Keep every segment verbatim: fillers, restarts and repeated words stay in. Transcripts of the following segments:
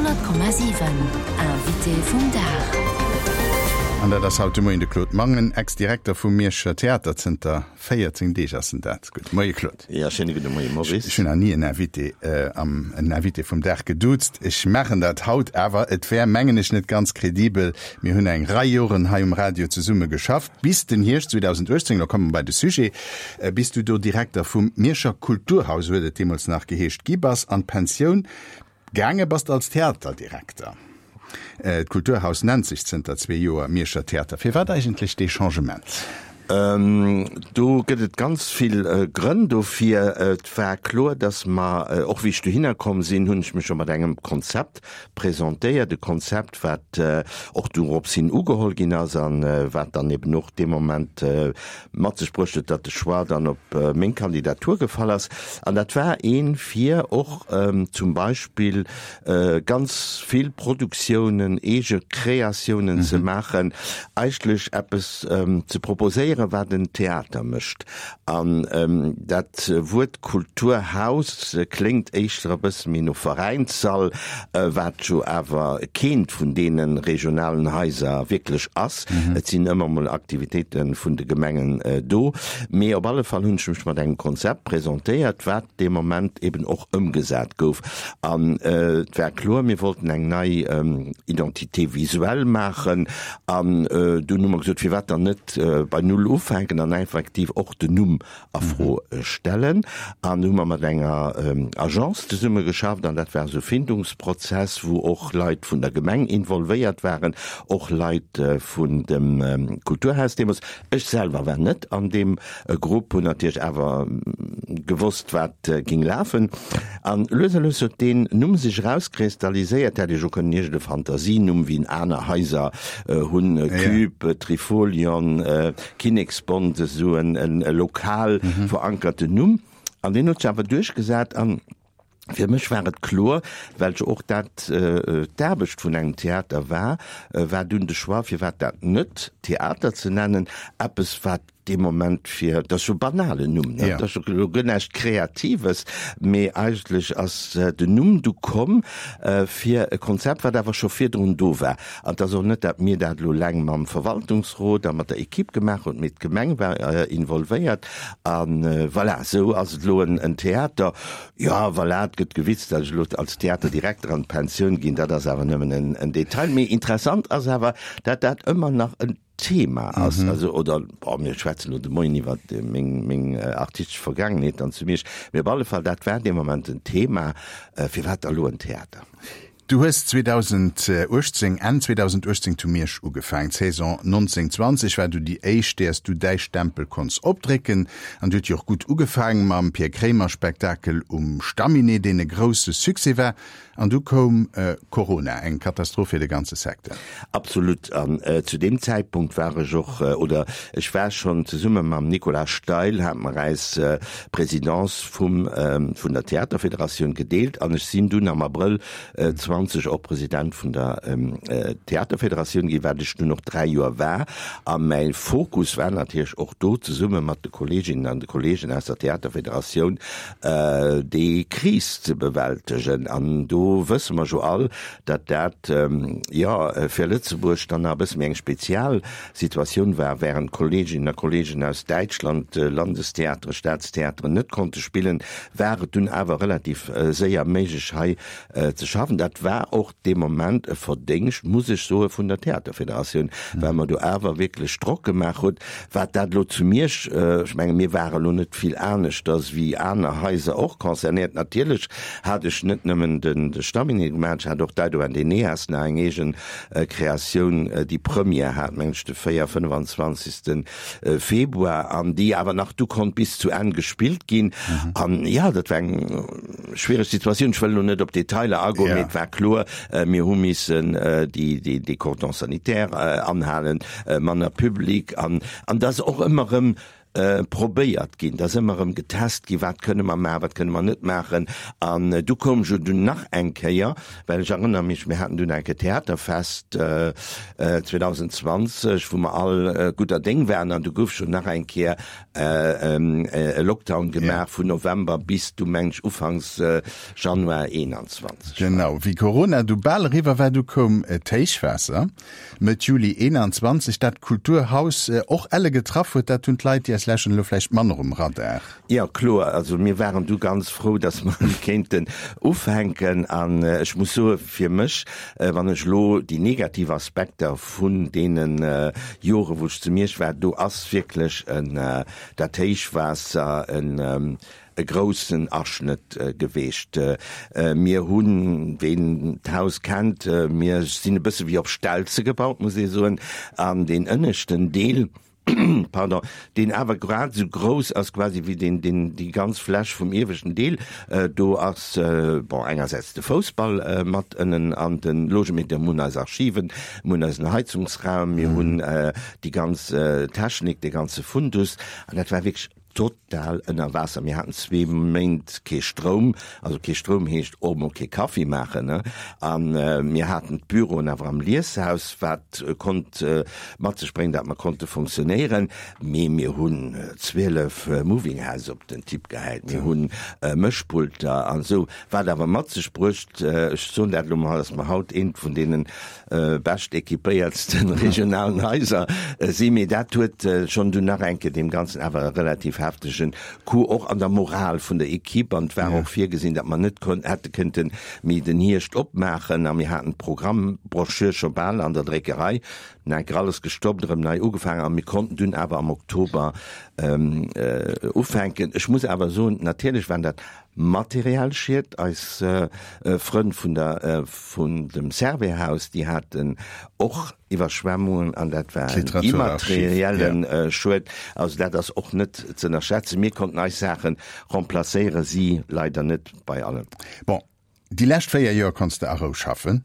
Honnert Komma siwen, Invité vum Dag. An dat ass haut de Moien de Claude Mangen, Ex-Direkter vum Mierscher Theater. Zënter véierzéng Deeg ass en dat. Gudde Moie Claude. Ja, schéine gudde Moie Maurice. Ech hunn nach ni en Invité am en Invité vum Dag geduuzt. Ech maachen dat haut awer. Et wär, mengen ech, net ganz kredibel. Mir hunn eng Rei Joren hei um Radio zesumme geschafft, bis den Hierscht zweedausenduechtzéng, lo komme mer bei de Sujet, bis du do Direkter vum Mierscher Kulturhaus, esou huet et deemools nach geheescht, gi bass, an d'Pensioun gaange bass als Theaterdirekter. D'Kulturhaus nennt sech zënter zwee Joer Mierscher Theater. Firwat eigentlech dee Changement? Do gëtt et ganz vill Grënn dofir. Et war kloer, datt mer, och wéi ech dohinner komm sinn, hunn ech mech jo mat engem Konzept presentéiert, e Konzept, wat och dorops hin ugeholl ginn ass a wat dann eben och dee Moment mat sech bruecht huet, datt de Choix dann op meng Kandidatur gefall ass. An dat war ee fir och zum Beispill ganz vill Produktiounen, eege Kreatiounen ze maachen, eigentlech eppes ze proposéieren, wat en Theater mécht. An dat Wuert Kulturhaus kléngt éischter e bësse méi no Veräinssall, wat jo awer keent vun deene regionalen Haiser wierklech ass. Et sinn ëmmer mol Aktivitéite vun de Gemengen do. Mee op alle Fall hunn ech mech mat engem Konzept presentéiert, wat dee Moment eben och ëmgesat gouf. An et war kloer, mir wollten eng nei Identité visuelle maachen. An dunn hu mer gesot, firwat dann net bei Null ufänken an effektiv och den Numm a Fro stellen. An du hu mer mat enger Agence zesumme geschafft an dat war esou e Findungsprozess, wou och Leit vun der Gemeng involvéiert waren, och Leit vun dem Kulturhaus deemools. Ech selwer war net an deem Grupp, hunn natierlech awer gewosst, wat géing lafen. An lues a lues huet deen Numm sech erauskristalliséiert. Hätt ech och kënnen iergend e Fantasienumm, wéi en aner Haiser hunn, Cube, Trifolion, Kinneksbond, esou en lokal verankerten Numm. An deen huet sech awer duerchgesat. An fir mech war et kloer, well jo och dat d'Aarbecht vun engem Theater war, war dunn de Choix, firwat dat net Theater ze nennen, eppes wat dee Moment fir, dat ass jo e banalen Numm, ne? Dat ass jo elo guer näischt Kreatives, mee eigentlech ass den Numm du komm fir e Konzept, wat awer scho virdrun do war. An et ass och net, dat mir dat elo eleng mam Verwaltungsrot a mat der Equipe gemaach hunn, mee d'Gemeng war involvéiert. A voilà, esou ass et elo en Theater. Jo, voilà, et gëtt gewitzt, datt ech elo als Theaterdirekter an d'Pensioun ginn, dat ass awer nëmmen en Detail. Mee interessant ass awer, dat dat ëmmer nach en Thema ass, mhm. also oder oh, mir schwätzen lo de Moien iwwer meng meng äh, artistesch Vergangenheet an zu Miersch, mee op alle Fall dat war dee Moment en Thema, äh, firwat da lo en Theater? Du hues zweedausenduechtzéng, Enn zweedausenduechtzéng zu Miersch ugefaangen. D'Saison nonzéng zwanzeg war du déi éischt, där s du däi Stempel konns opdrécken. An déi huet jo och gutt ugefaangen mam Pierre Kremer Spektakel um Stamminet, deen e grousse Succès war. An du koum Corona, eng Katastroph fir de ganze Secteur. Absolut. An zu deem Zäitpunkt war ech och, oder ech war schonn zesumme mam Nicolas Steil, hate mer eis Présidence vum, vun der Theaterfederatioun gedeelt an ech sinn dunn am Abrëll zwanzeg och President vun der Theaterfederatioun ginn, wat ech dunn och dräi Joer war. A mäi Fokus war natierlech och do, zesumme mat de Kolleeginnen an de Kolleegen aus der Theaterfederatioun, déi Kris ze bewältegen. An do wësse mer jo all, datt dat, jo, fir Lëtzebuerg dann nach e bësse méi eng spezial Situatioun war, während Kolleeginnen a Kolleegen aus Däitschland Landestheateren, Staatstheateren net konnte spillen, war et dunn awer relativ séier méiglech hei ze schaffen. Dat war och dee Moment e Verdéngscht, muss ech soen, vun der Theaterfederatioun, well mer do awer wierklech Drock gemaach hutt. Wat dat elo zu Miersch, ech menge mir ware elo net vill aneschters wéi aner Haiser och concernéiert. Natierlech hat ech net nëmmen de Stamminet gemaach, ech hat och Dido and Aeneas nach eng eegen Kreatioun, déi Première hat, mengen ech, de véier, fënnfanzwanzegste Februar an déi awer nach du konnt bis zu Enn gespillt ginn. An jo, dat war eng schwiereg Situatioun. Ech wëll elo net op Detailer agoen, mee et war kloer, mir hu missen déi, déi Cordon sanitaire anhalen, manner Public an, an dass och ëmmer erëm probéiert ginn, et ass ëmmer erëm getest ginn, wat kënne mer maachen, wat kënne mer net maachen. An du koum jo dunn nach eng Kéier, well ech erënnere mech, mir haten dunn eng Kéier Theaterfest zweedausendzwanzeg, wou mer all gudder Déng waren, an du gouf schonn nach eng Kéier e Lockdown gemaach vun November bis du meng ech ufanks Januar eenanzwanzeg. Genau, wéi Corona du bal eriwwer war, du koum d'Héichwaasser Mëtt Juli eenanzwanzeg, dat d'Kulturhaus och elle getraff huet. Dat hunn d'Leit, déi eis lauschteren, elo vläicht manner um Radar. Jo, kloer. Also mir waren du ganz frou, dass mer kéinten ufänken. An ech muss soe fir mech, wann ech elo déi negativ Aspekter vun deene Jore wou ech zu Miersch war, do ass wierklech dat Héichwaasser en e groussen Aschnëtt geweecht. Mir hunn, ween d'Haus kennt, mir sinn e bësse wéi op Stelze gebaut, muss ee soen, an deen ënneschten Deel, pardon, deen awer grad esou grouss ass quasi wéi deen, deen, déi ganz Fläch vum ieweschten Deel, do ass, bon, engersäits de Foussball mat ënnen an de Logementer, mir hunn eis Archiven, mir hunn eisen Heizungsraum, mir hunn déi ganz Technik, dee ganze Fundus, an dat war wierklech Total ënner Waasser. Mir haten zwee Méint kee Stroum. Also kee Stroum heescht och mol kee Kaffi maachen, ne? A mir haten d'Büroen awer am Lieshaus, wat konnt mat sech bréngen, datt mer konnte fonctionnéieren. Mee mir hunn zwielef Moving Houses op den Tipp gehäit, mir hu Mëschpulter an esou, wat awer mat sech bruecht, ech soen dat elo mol, datt mer haut eent vun deene bescht equipéiertsten regionalen Haiser sinn. Mee dat huet schonn dunn nach eng Kéier deem Ganzen awer e relativ heftegen Coup och an der Moral vun der Equipe. An et war och virgesinn, datt mer net hätte kënnte méi den Hierscht opmaachen. A mir haten d'Programmbrochure scho bal an der Dréckerei. Dunn eng Kéier alles gestoppt, erëm nei ugefaangen a mir konnten dunn awer am Oktober ufänken. Ech muss awer soen, natierlech waren dat materiell Schied. Eis Frënn vun der, vun dem Servais-Haus, déi haten och Iwwerschwemmungen an dat war en immaterielle Schued. Also dat ass och net ze ënnerschätzen. Mir konnten eis Saache remplacéieren, si leider net bei allem. Bon, déi lescht véier Joer konns de a Rou schaffen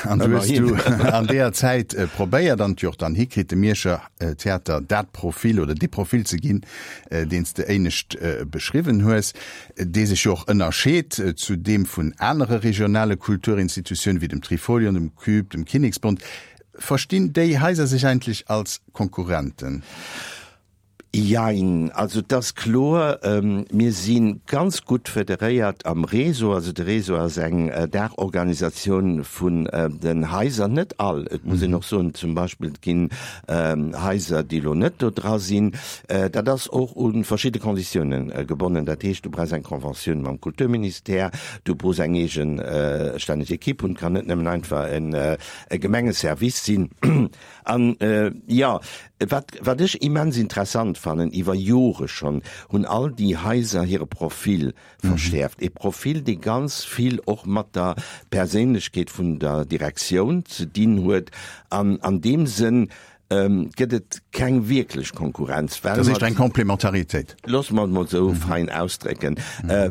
an du hues du an deeër Zäit probéiert an et jo och dann hikritt, dem Mierscher Theater dat Profil oder dee Profil ze ginn, deen s de éinescht beschriwwen hues, dee sech jo och ënnerscheet zu deem vun anere regionale Kulturinstitutiounen, wéi dem Trifolion, dem Cube, dem Kinneksbond. Verstinn déi Haiser sech eigentlech als Konkurrenten? Jein, also et ass kloer, mir si ganz gutt federéiert am Réseau. Also de Réseau ass eng Daachorganisatioun vun den Haiser, net all, et muss een och soen, zum Beispill et ginn Haiser, déi elo net do dra sinn. Dat ass och u verschidde Konditiounen gebonnen. Dat heescht, du brauchs eng Conventioun mam Kulturministère, du brauchs eng eegestänneg Equipe hunn, et kann net nëmmen einfach e Gemengeservice sinn. An, jo, wat, wat ech immens interessant fannen, iwwer Jore schonn hunn all déi Haiser hire Profil verschäerft. E Profil, dee ganz vill och mat der Perséinlechkeet vun der Direktioun ze dinn huet. An an deem Sënn gëtt et keng wierklech Konkurrenz, well. Dat heescht eng Complémentaritéit. Loosse mer et mol esou fein ausdrécken,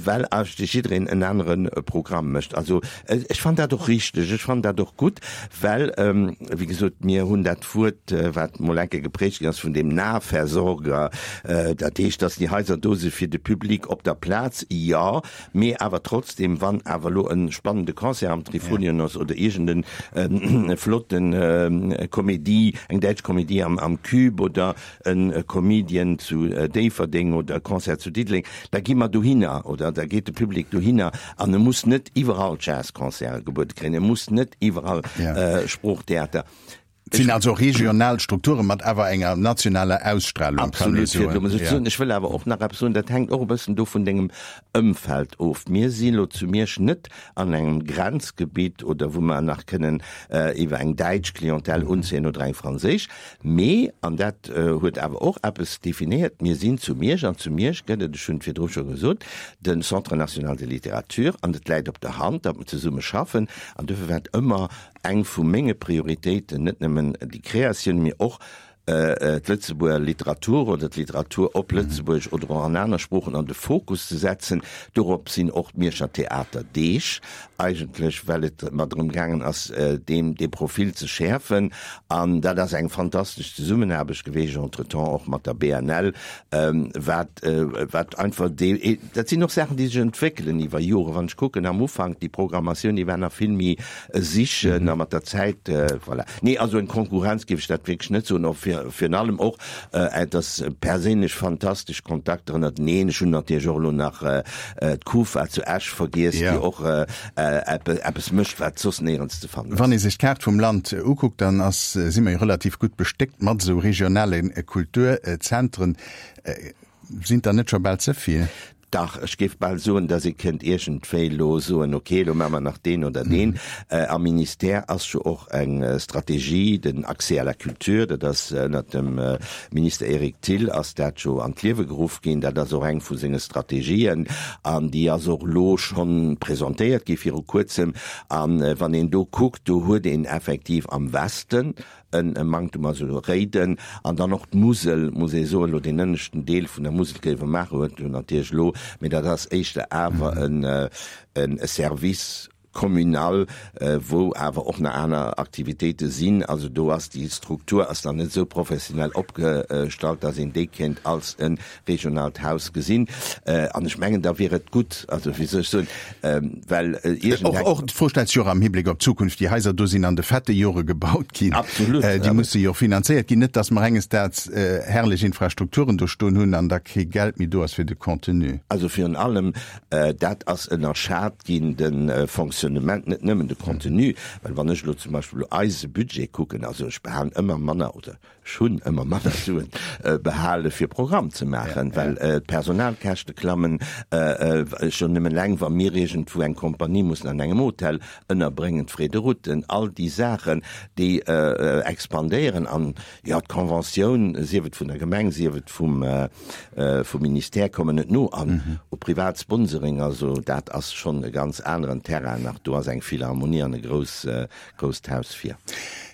well eigentlech jiddereen en anere Programm mécht. Also ech fannen dat och richteg, ech fannen dat och gutt, well, wéi gesot, mir hunn dat Wuert, wat mol eng Kéier geprägt ginn ass, vun dem Nahversorger, dat heescht, datt déi Haiser do si fir de Public op der Plaz, jo, mee awer trotzdem, wann awer elo e spannende Concert am Trifolion ass oder iergend e flotten Komedie, eng däitsch Komedie am Cube oder e Comedian zu Déifferdeng oder e Concert zu Diddeleng, da gi mer dohinner oder da geet de Public dohinner an e muss net iwwerall Jazzconcerte gebuede kréien, e muss net iwwerall Sproochtheater. Et sinn also regional Strukture mat awer enger nationaler Ausstrahlung, kann ee Absolut, fir et elo mol esou ze soen. Ech wëll awer och nach eppes soen, dat hänkt och e bëssen do vun dengem Ëmfeld of. Mir si lo zu Miersch net an engem Grenzgebitt oder wou mer nach kënnen iwwer eng däitsch Clientèle unzéien oder eng franséisch, mee, an dat huet awer och eppes definéiert, mir sinn zu Miersch an zu Miersch gëtt et, ech hunn et virdru scho gesot, de Centre national de littérature an et läit op der Hand, datt mer zesumme schaffen an dofir war et ëmmer eng vu menge Prioritéiten, net nëmmen déi Kreatioun, mee och d'Lëtzebuerger Literatur oder d'Literatur op Lëtzebuergesch oder och an aner Sproochen an de Fokus ze setzen. Dorop sinn och d'Mierscher Theaterdeeg eigentlech, well et mer drëm gaangen ass, deem dee Profil ze schäerfen. An dat ass eng fantastesch Zesummenaarbecht geweecht, entretemps och mat der B N L, wat, wat einfach dee, dat sinn och Saachen, déi sech entwéckelen iwwer Joren. Wann ech kucken, am Ufank, déi Programmatioun, déi war nach vill méi e Sichen a mat der Zäit, voilà. Nee, also eng Konkurrenz géif ech dat wierklech net soen, och virun allem och, et ass perséinlech fantastesch Kontakter ënnerteneen. Ech hunn natierlech och elo nach d'Kufa zu Esch vergiess, déi och eppes mécht, wat soss néierens ze fannen ass. Wann ee sech d'Kaart vum Land ukuckt, dann ass, si mer jo relativ gutt bestéckt mat esou regionale Kulturzentren. Sinn der net scho bal ze vill? Dach, ech géif bal soen, datt ee kënnt iergendwéi elo soen, okay, elo maache mer nach deen oder deen. Am Ministère ass jo och eng Strategie, den Accès à la culture, dat ass ënnert dem Minister Eric Thill ass dat jo an d'Liewe geruff ginn. Dat ass och eng vu senge Strategien an déi ass och elo schonn presentéiert gi viru Kuerzem. A wann een do kuckt, do huet een effektiv am Westen e Manktum, also Réiden an dann och d'Musel, muss ee soen, elo deen ënneschten Deel vun der Musel Gréiwemaacher huet jo natierlech elo, mee dat ass éischter awer e Service communal, wou awer och nach aner Aktivitéite sinn. Also do ass déi Struktur ass nach net esou professionell opgestallt, datt een déi kéint als e regionaalt Haus gesinn. An ech mengen, da wier et gutt, also wéi soll ech soen, well iergend eng. Och d'Fro stellt sech jo och am Hibléck op d'Zukunft. Déi Haiser do sinn an de fette Jore gebaut ginn. Absolut. Déi musse jo och finanzéiert ginn. Net, datt mer enges Daags herrlech Infrastrukturen do stoen hunn an da kee Geld méi do ass fir de Contenu. Also virun allem, dat ass ënnerschat ginn, de Fonctionnement, net nëmmen de Contenu. Well wann ech elo zum Beispill elo eise Budget kucken, also ech behalen ëmmer manner oder Ech hunn ëmmer manner Suen behale fir Programm ze maachen, well d'Personalkäschte klammen. Schonn nëmmen eleng, wa mir iergendwou eng Kompanie mussen an engem Hotel ënnerbréngen, d'Frais de route, all déi Saachen, déi expandéieren. An jo, d'Conventioun, sief et vun der Gemeng, sief et vum Ministère, kommen net no. An u privat Sponsoring, also dat ass schonn e ganz aneren Terrain nach. Do ass eng Philharmonie an e grouss, grousst Haus fir.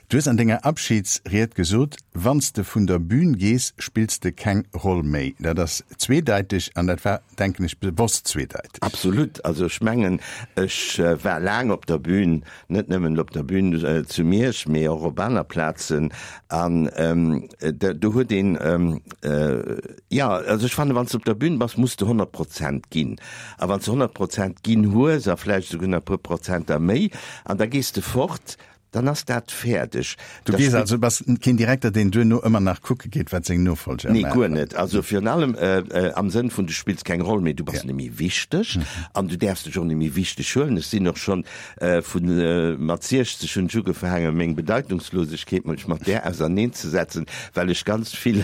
Du hues an denger Abschidsried gesot, Wann s de vun der Bühn gees, spills de keng Roll méi. Dat ass zweedeiteg an dat war, denken ech, bewosst zweedeiteg. Absolut. Also ech mengen, ech war laang op der Bühn, net nëmmen op der Bühn zu Miersch, mee och op aner Plazen. An do huet een, jo, also ech fannen, wann s de op der Bühn bass, muss de honnert Prozent ginn. A wann s de honnert Prozent ginn hues a vläicht esouguer nach e puer Prozenter méi, an da gees de fort, Dann ass dat fäerdeg. Du gees also, bass keen Direkter, deen duerno ëmmer nach kucke geet, wat seng Nofolger maachen? Nee, guer net. Also virun allem am Sënn vun, du spills keng Roll méi, du bass net méi wichteg an du däerfs dech och net méi wichteg huelen. Ech sinn och schonn vu mat siechzeg hunn ech ugefaangen, meng Bedeitungslosegkeet mech mat där auserneenzesetzen, well ech ganz vill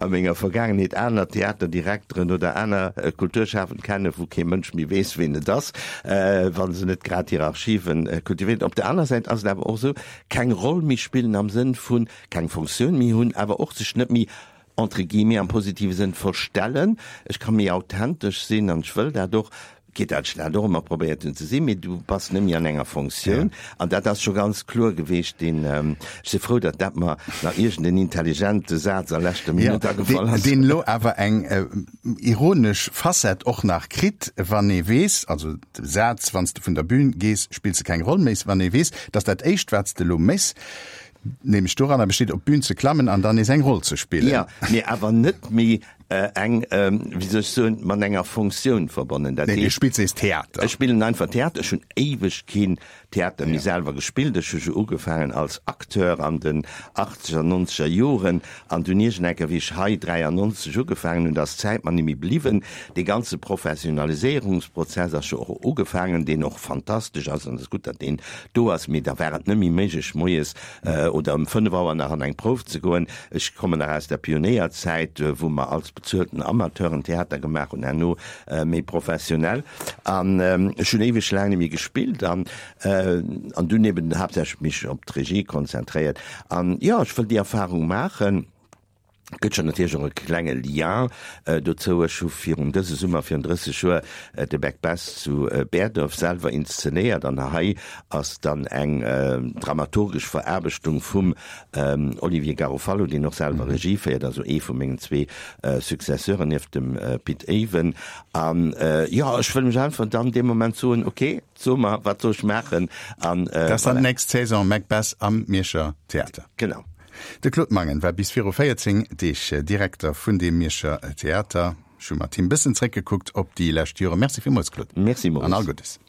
a menger Vergaangenheet aner Theaterdirekteren oder aner Kulturschafend kennen, wou kee Mënsch méi weess, ween et ass, wa se net grad hir Archiven kultivéieren. Op der aner Säit ass et awer och esou, keng Roll méi spillen am Sënn vun keng Funktioun méi hunn, awer och sech net méi entre guillemets am positive Sënn verstellen. Ech ka méi authentesch sinn an ech wëll dat och, quitte dat ech dat och ëmmer probéiert hunn ze sinn, mee du bass net méi an enger Funktioun. An dat ass scho ganz kloer geweecht, deen, ech si frou, datt dat mer nach iergend en intelligente Saz a leschter Minutt agefall ass. Deen elo awer eng ironesch Facette och nach kritt, wann ee weess, also de Saz, wann s de vun der Bühn gees, spills de keng Roll méi, wann ee weess, datt dat éischt, wat s de elo méchs, nämlech doranner besteet, op d'Bühn ze klammen an dann nees eng Roll ze spillen. Jo, mee awer net méi eng, wéi soll ech soen, mat enger Funktioun verbonnen. Dat heescht. Nee, du spills nees Theater. Ech spillen einfach Theater. Ech hunn éiweg keen Theater méi selwer gespillt. Ech hu jo ugefaangen als Acteur an den achtzeger, nonzeger Joren an dunn iergendenker, wéi ech hei dräiannonzeg ugefaangen hunn, da ass d'Zäit mer net méi bliwwen. Dee ganze Professionaliséierungsprozess ass jo och ugefaangen, deen och fantastesch ass an et ass gutt, datt deen do ass, mee da war et net méi méiglech, moies oder ëm fënnef Auer nach an eng Prouf ze goen. Ech kommen nach aus der Pionéierzäit, wou mer als bezuelten Amateuren Theater gemaach hunn, herno méi professionell. An ech hunn éiweg laang net méi gespillt an an dunn eben haaptsächlech mech op d'Regie konzentréiert. An jo, ech wëll déi Erfahrung maachen. Gëtt schonn natierlech och e klenge Lien dozou. Ech hu virun dëse Summer virun drësseg Joer de Macbeth zu Berdorf selwer inszenéiert an hei ass dann eng dramaturgesch Veraarbechtung vum Olivier Garofalo, deen och selwer Regie féiert, also ee vu mengen zwee Successeuren nieft dem Pit Ewen. An jo, ech wëll mech einfach dann dee Moment soen, ok, so mer, wat soll ech maachen? An Dat ass dann d'nächst Saison Macbeth am Mierscher Theater. Genau. De Claude Mangen war bis viru véierzéng Deeg Direkter vun deem Mierscher Theater. Ech hu mat him bëssen zréckgekuckt op déi lescht Joren. Merci villmools, Claude. Merci, Maurice. An all Guddes.